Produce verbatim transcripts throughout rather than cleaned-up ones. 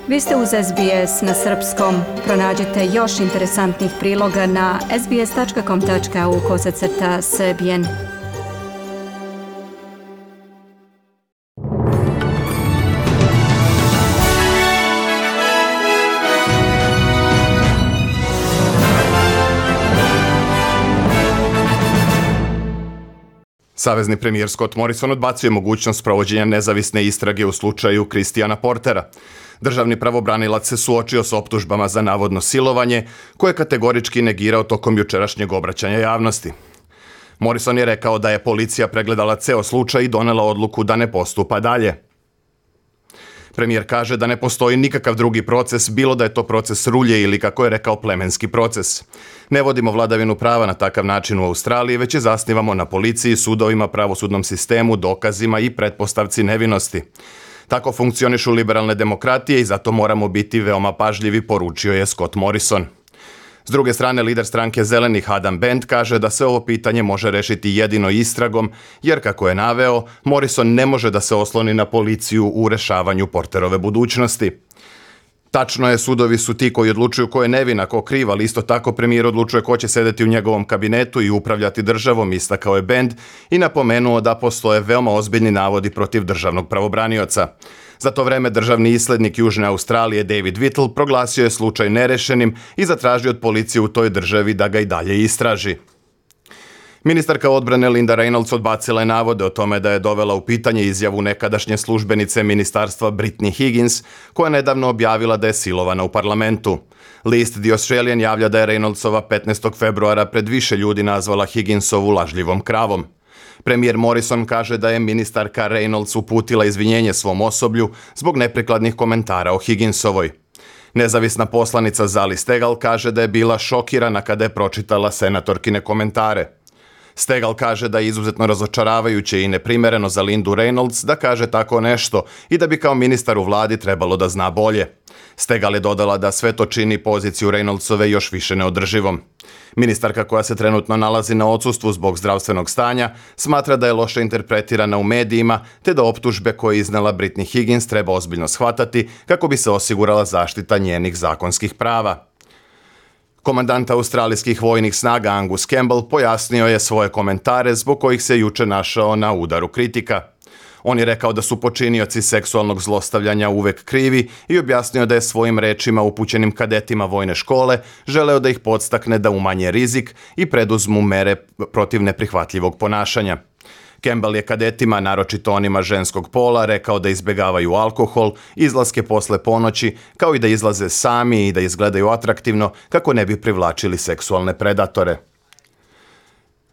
Vi ste uz S B S na srpskom. Pronađite još interesantnih priloga na sbs.com.au kosacrta srbijen. Savezni premijer Scott Morrison odbacio je mogućnost provođenja nezavisne istrage u slučaju Christiana Portera. Državni pravobranilac se suočio s optužbama za navodno silovanje, koje je kategorički negirao tokom jučerašnjeg obraćanja javnosti. Morrison je rekao da je policija pregledala ceo slučaj i donela odluku da ne postupa dalje. Premijer kaže da ne postoji nikakav drugi proces, bilo da je to proces rulje ili, kako je rekao, plemenski proces. Ne vodimo vladavinu prava na takav način u Australiji, već je zasnivamo na policiji, sudovima, pravosudnom sistemu, dokazima i pretpostavci nevinosti. Tako funkcionišu liberalne demokratije i zato moramo biti veoma pažljivi, poručio je Scott Morrison. S druge strane, lider stranke Zelenih Adam Bent kaže da se ovo pitanje može rešiti jedino istragom, jer, kako je naveo, Morrison ne može da se osloni na policiju u rešavanju Porterove budućnosti. Tačno je, sudovi su ti koji odlučuju ko je nevin, a ko kriv, ali isto tako premijer odlučuje ko će sedeti u njegovom kabinetu i upravljati državom, istakao je Bend i napomenuo da postoje veoma ozbiljni navodi protiv državnog pravobranioca. Za to vreme državni islednik Južne Australije David Whittle proglasio je slučaj nerešenim i zatražio od policije u toj državi da ga i dalje istraži. Ministarka odbrane Linda Reynolds odbacila je navode o tome da je dovela u pitanje izjavu nekadašnje službenice ministarstva Brittany Higgins, koja je nedavno objavila da je silovana u parlamentu. List The Australian javlja da je Reynoldsova petnaestog februara pred više ljudi nazvala Higginsovu lažljivom kravom. Premijer Morrison kaže da je ministarka Reynolds uputila izvinjenje svom osoblju zbog neprikladnih komentara o Higginsovoj. Nezavisna poslanica Zali Steggall kaže da je bila šokirana kada je pročitala senatorkine komentare. Steggall kaže da je izuzetno razočaravajuće i neprimereno za Lindu Reynolds da kaže tako nešto i da bi kao ministar u vladi trebalo da zna bolje. Steggall je dodala da sve to čini poziciju Reynoldsove još više neodrživom. Ministarka, koja se trenutno nalazi na odsustvu zbog zdravstvenog stanja, smatra da je loše interpretirana u medijima, te da optužbe koje je iznela Brittany Higgins treba ozbiljno shvatati kako bi se osigurala zaštita njenih zakonskih prava. Komandant australijskih vojnih snaga Angus Campbell pojasnio je svoje komentare zbog kojih se juče našao na udaru kritika. On je rekao da su počinioci seksualnog zlostavljanja uvek krivi i objasnio da je svojim rečima upućenim kadetima vojne škole želeo da ih podstakne da umanje rizik i preduzmu mere protiv neprihvatljivog ponašanja. Campbell je kadetima, naročito onima ženskog pola, rekao da izbegavaju alkohol, izlaske posle ponoći, kao i da izlaze sami i da izgledaju atraktivno kako ne bi privlačili seksualne predatore.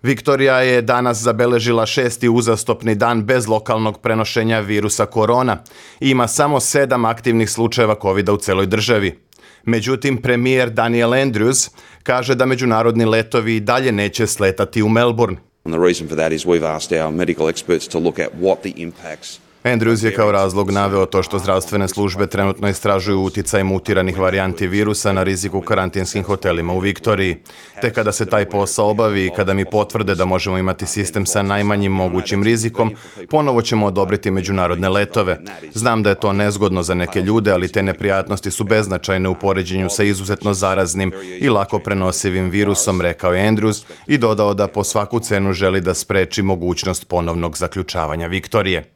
Viktorija je danas zabeležila šesti uzastopni dan bez lokalnog prenošenja virusa korona i ima samo sedam aktivnih slučajeva kovida u celoj državi. Međutim, premijer Daniel Andrews kaže da međunarodni letovi dalje neće sletati u Melbourne. And the reason for that is we've asked our medical experts to look at what the impacts. Andrews je kao razlog naveo to što zdravstvene službe trenutno istražuju uticaj mutiranih varijanti virusa na rizik u karantinskim hotelima u Viktoriji. Te kada se taj posao obavi i kada mi potvrde da možemo imati sistem sa najmanjim mogućim rizikom, ponovo ćemo odobriti međunarodne letove. Znam da je to nezgodno za neke ljude, ali te neprijatnosti su beznačajne u poređenju sa izuzetno zaraznim i lako prenosivim virusom, rekao je Andrews i dodao da po svaku cenu želi da spreči mogućnost ponovnog zaključavanja Viktorije.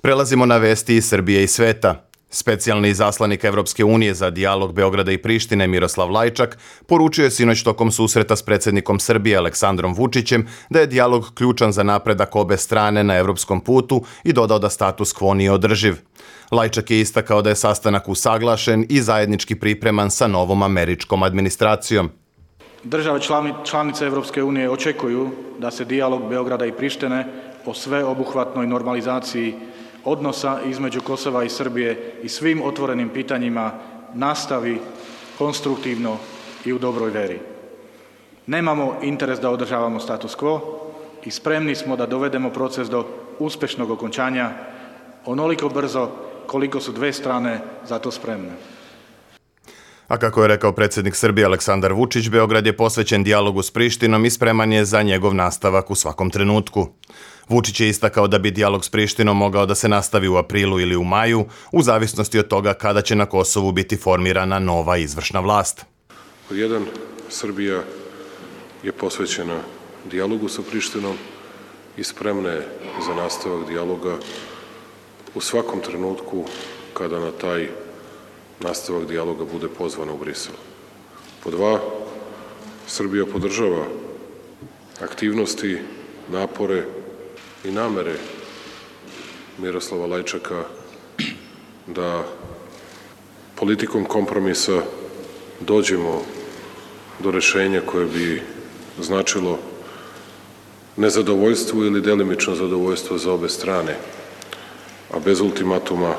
Prelazimo na vesti iz Srbije i sveta. Specijalni izaslanik Evropske unije za dijalog Beograda i Prištine Miroslav Lajčak poručio je sinoć tokom susreta s predsjednikom Srbije Aleksandrom Vučićem da je dijalog ključan za napredak obe strane na evropskom putu i dodao da status quo nije održiv. Lajčak je istakao da je sastanak usaglašen i zajednički pripreman sa novom američkom administracijom. Države članice Evropske unije očekuju da se dijalog Beograda i Prištine o sveobuhvatnoj normalizaciji odnosa između Kosova i Srbije i svim otvorenim pitanjima nastavi konstruktivno i u dobroj veri. Nemamo interes da održavamo status quo i spremni smo da dovedemo proces do uspešnog okončanja onoliko brzo koliko su dve strane za to spremne. A kako je rekao predsjednik Srbije Aleksandar Vučić, Beograd je posvećen dijalogu s Prištinom i spreman je za njegov nastavak u svakom trenutku. Vučić je istakao da bi dijalog s Prištinom mogao da se nastavi u aprilu ili u maju, u zavisnosti od toga kada će na Kosovu biti formirana nova izvršna vlast. Pod jedan, Srbija je posvećena dijalogu sa Prištinom i spremna je za nastavak dijaloga u svakom trenutku kada na taj nastavak dijaloga bude pozvana u Brisel. Pod dva, Srbija podržava aktivnosti, napore i namere Miroslava Lajčaka da politikom kompromisa dođemo do rešenja koje bi značilo nezadovoljstvo ili delimično zadovoljstvo za obe strane, a bez ultimatuma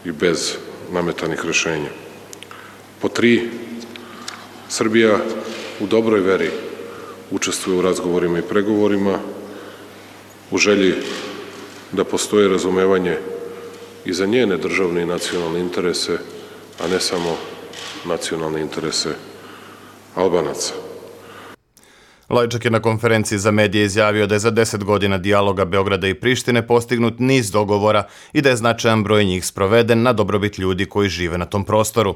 i bez nametanih rešenja. Po tri, Srbija u dobroj veri učestvuje u razgovorima i pregovorima, u želji da postoje razumevanje i za njene državne i nacionalne interese, a ne samo nacionalne interese Albanaca. Lajčak je na konferenciji za medije izjavio da je za deset godina dijaloga Beograda i Prištine postignut niz dogovora i da je značajan broj njih sproveden na dobrobit ljudi koji žive na tom prostoru.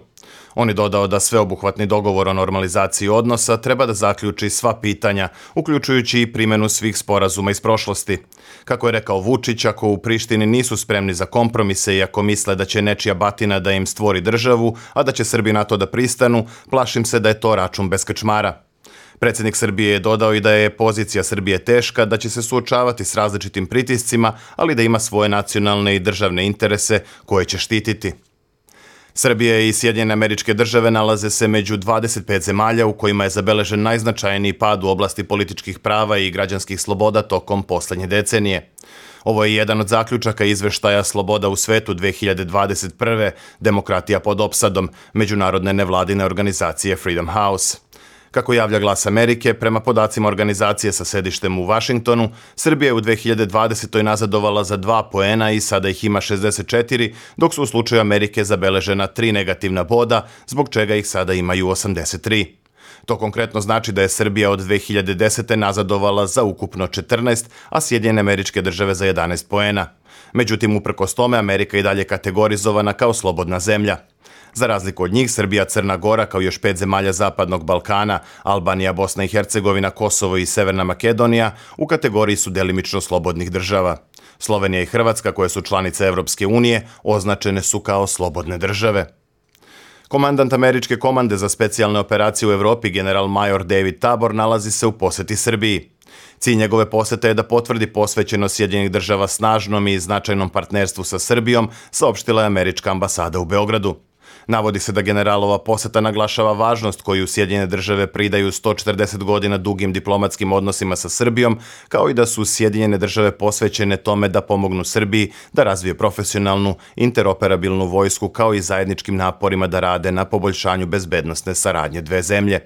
On je dodao da sveobuhvatni dogovor o normalizaciji odnosa treba da zaključi sva pitanja, uključujući i primjenu svih sporazuma iz prošlosti. Kako je rekao Vučić, ako u Prištini nisu spremni za kompromise i ako misle da će nečija batina da im stvori državu, a da će Srbi na to da pristanu, plašim se da je to račun bez krčmara. Predsjednik Srbije je dodao i da je pozicija Srbije teška, da će se suočavati s različitim pritiscima, ali da ima svoje nacionalne i državne interese koje će štititi. Srbija i Sjedinjene Američke Države nalaze se među dvadeset pet zemalja u kojima je zabeležen najznačajniji pad u oblasti političkih prava i građanskih sloboda tokom poslednje decenije. Ovo je jedan od zaključaka izveštaja Sloboda u svetu dve hiljade dvadeset prve. Demokratija pod opsadom međunarodne nevladine organizacije Freedom House. Kako javlja Glas Amerike, prema podacima organizacije sa sedištem u Vašingtonu, Srbija je u dve hiljade dvadesetoj nazadovala za dva poena i sada ih ima šezdeset četiri, dok su u slučaju Amerike zabeležena tri negativna boda, zbog čega ih sada imaju osamdeset tri. To konkretno znači da je Srbija od dve hiljade desete nazadovala za ukupno četrnaest, a Sjedinjene Američke Države za jedanaest poena. Međutim, uprkos tome, Amerika je dalje kategorizovana kao slobodna zemlja. Za razliku od njih, Srbija, Crna Gora, kao još pet zemalja Zapadnog Balkana, Albanija, Bosna i Hercegovina, Kosovo i Severna Makedonija, u kategoriji su delimično slobodnih država. Slovenija i Hrvatska, koje su članice Evropske unije, označene su kao slobodne države. Komandant Američke komande za specijalne operacije u Evropi, general major David Tabor, nalazi se u poseti Srbiji. Cilj njegove posete je da potvrdi posvećenost Sjedinjenih Država snažnom i značajnom partnerstvu sa Srbijom, saopštila je Američka ambasada u Beogradu. Navodi se da generalova poseta naglašava važnost koju Sjedinjene Države pridaju sto četrdeset godina dugim diplomatskim odnosima sa Srbijom, kao i da su Sjedinjene Države posvećene tome da pomognu Srbiji da razvije profesionalnu, interoperabilnu vojsku, kao i zajedničkim naporima da rade na poboljšanju bezbednosne saradnje dve zemlje.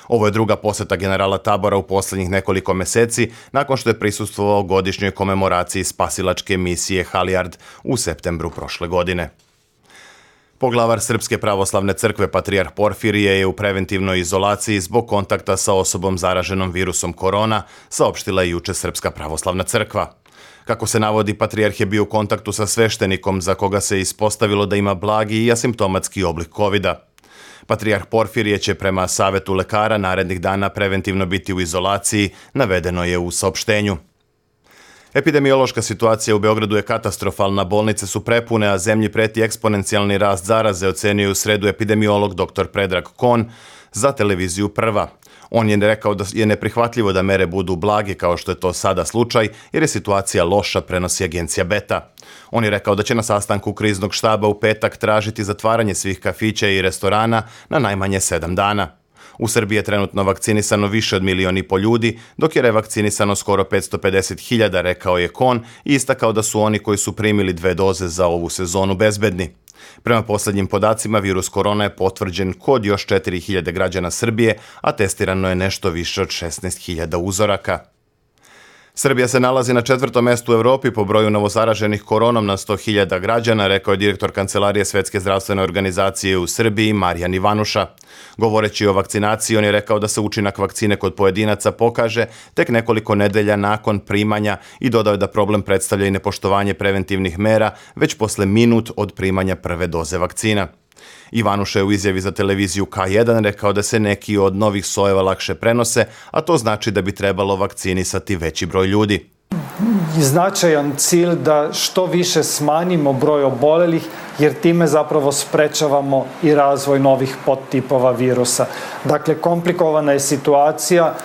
Ovo je druga poseta generala Tabora u poslednjih nekoliko meseci, nakon što je prisustvovao godišnjoj komemoraciji spasilačke misije Halijard u septembru prošle godine. Poglavar Srpske pravoslavne crkve patrijarh Porfirije je u preventivnoj izolaciji zbog kontakta sa osobom zaraženom virusom korona, saopštila je juče Srpska pravoslavna crkva. Kako se navodi, patrijarh je bio u kontaktu sa sveštenikom za koga se ispostavilo da ima blagi i asimptomatski oblik kovida. Patrijarh Porfirije će prema savetu lekara narednih dana preventivno biti u izolaciji, navedeno je u saopštenju. Epidemiološka situacija u Beogradu je katastrofalna, bolnice su prepune, a zemlji preti eksponencijalni rast zaraze, ocenio u sredu epidemiolog dr Predrag Kon za televiziju Prva. On je rekao da je neprihvatljivo da mere budu blage kao što je to sada slučaj, jer je situacija loša, prenosi agencija Beta. On je rekao da će na sastanku kriznog štaba u petak tražiti zatvaranje svih kafića i restorana na najmanje sedam dana. U Srbiji je trenutno vakcinisano više od milion i po ljudi, dok je revakcinisano skoro petsto pedeset hiljada, rekao je Kon i istakao da su oni koji su primili dve doze za ovu sezonu bezbedni. Prema poslednjim podacima, virus korona je potvrđen kod još četiri hiljade građana Srbije, a testirano je nešto više od šesnaest hiljada uzoraka. Srbija se nalazi na četvrtom mestu u Evropi po broju novozaraženih koronom na sto hiljada građana, rekao je direktor Kancelarije Svetske zdravstvene organizacije u Srbiji Marijan Ivanuša. Govoreći o vakcinaciji, on je rekao da se učinak vakcine kod pojedinaca pokaže tek nekoliko nedelja nakon primanja i dodao je da problem predstavlja i nepoštovanje preventivnih mera već posle minut od primanja prve doze vakcina. Ivanuša je u izjavi za televiziju K jedan rekao da se neki od novih sojeva lakše prenose, a to znači da bi trebalo vakcinisati veći broj ljudi. Značajan cilj da što više smanjimo broj obolelih, jer time zapravo sprečavamo i razvoj novih podtipova virusa. Dakle, komplikovana je situacija,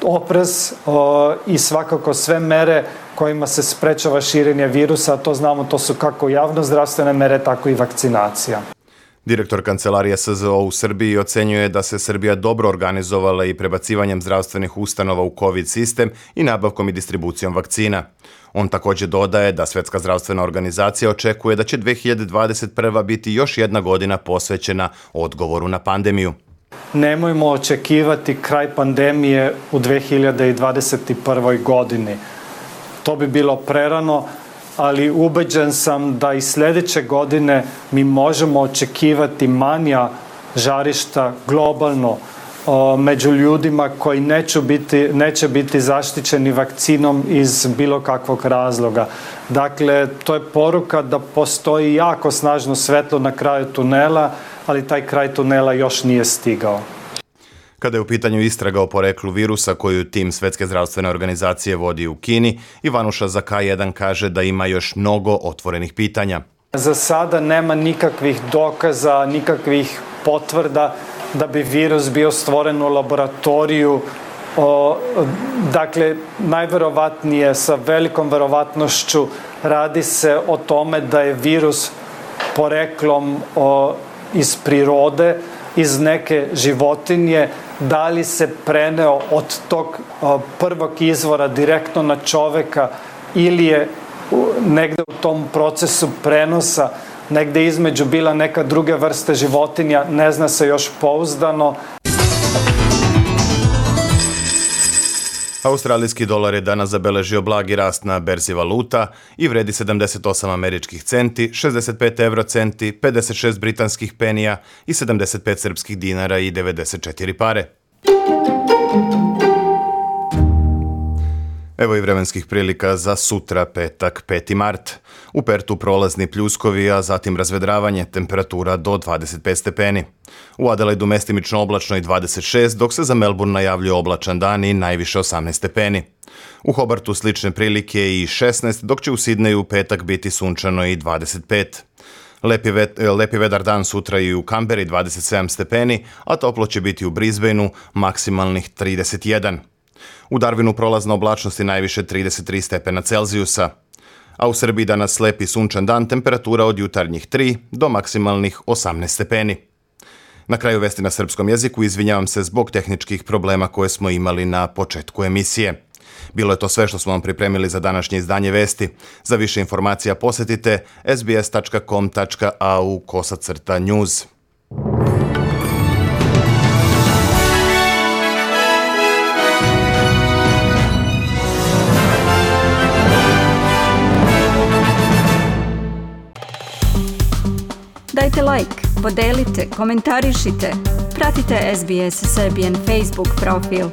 oprez o, i svakako sve mere kojima se sprečava širenje virusa, a to znamo, to su kako javnozdravstvene mere, tako i vakcinacija. Direktor Kancelarije S Z O u Srbiji ocenjuje da se Srbija dobro organizovala i prebacivanjem zdravstvenih ustanova u COVID sistem i nabavkom i distribucijom vakcina. On također dodaje da Svetska zdravstvena organizacija očekuje da će dve hiljade dvadeset prva biti još jedna godina posvećena odgovoru na pandemiju. Nemojmo očekivati kraj pandemije u dve hiljade dvadeset prvoj godini. To bi bilo prerano, ali ubeđen sam da i sljedeće godine mi možemo očekivati manja žarišta globalno o, među ljudima koji neće biti, neće biti zaštićeni vakcinom iz bilo kakvog razloga. Dakle, to je poruka da postoji jako snažno svetlo na kraju tunela, ali taj kraj tunela još nije stigao. Kada je u pitanju istraga o poreklu virusa koju tim Svetske zdravstvene organizacije vodi u Kini, Ivanuša za K jedan kaže da ima još mnogo otvorenih pitanja. Za sada nema nikakvih dokaza, nikakvih potvrda da bi virus bio stvoren u laboratoriju. O, dakle, najverovatnije, sa velikom verovatnošću, radi se o tome da je virus poreklom o, iz prirode, iz neke životinje, da li se preneo od tog o, prvog izvora direktno na čoveka ili je u, negde u tom procesu prenosa negde između bila neka druga vrsta životinja, ne zna se još pouzdano. Australijski dolar je danas zabeležio blagi rast na berzi valuta i vredi sedamdeset osam američkih centi, šezdeset pet evro centi, pedeset šest britanskih penija i sedamdeset pet srpskih dinara i devedeset četiri pare. Evo i vremenskih prilika za sutra, petak, peti mart. U Pertu prolazni pljuskovi, a zatim razvedravanje, temperatura do dvadeset pet stepeni. U Adelaidu mestimično oblačno i dvadeset šest, dok se za Melbourne najavljuje oblačan dan i najviše osamnaest stepeni. U Hobartu slične prilike i šesnaest, dok će u Sidneju u petak biti sunčano i dvadeset pet. Lepi, vet, lepi vedar dan sutra i u Kamberi dvadeset sedam stepeni, a toplo će biti u Brisbaneu maksimalnih trideset jedan. U Darwinu prolazna oblačnost i najviše trideset tri stepena Celzijusa. A u Srbiji danas lepi sunčan dan, temperatura od jutarnjih tri do maksimalnih osamnaest stepeni. Na kraju vesti na srpskom jeziku, izvinjavam se zbog tehničkih problema koje smo imali na početku emisije. Bilo je to sve što smo vam pripremili za današnje izdanje vesti. Za više informacija posjetite s b s tačka com tačka a u kosacrta news. Dajte like, podelite, komentarišite. Pratite S B S Serbian Facebook profil.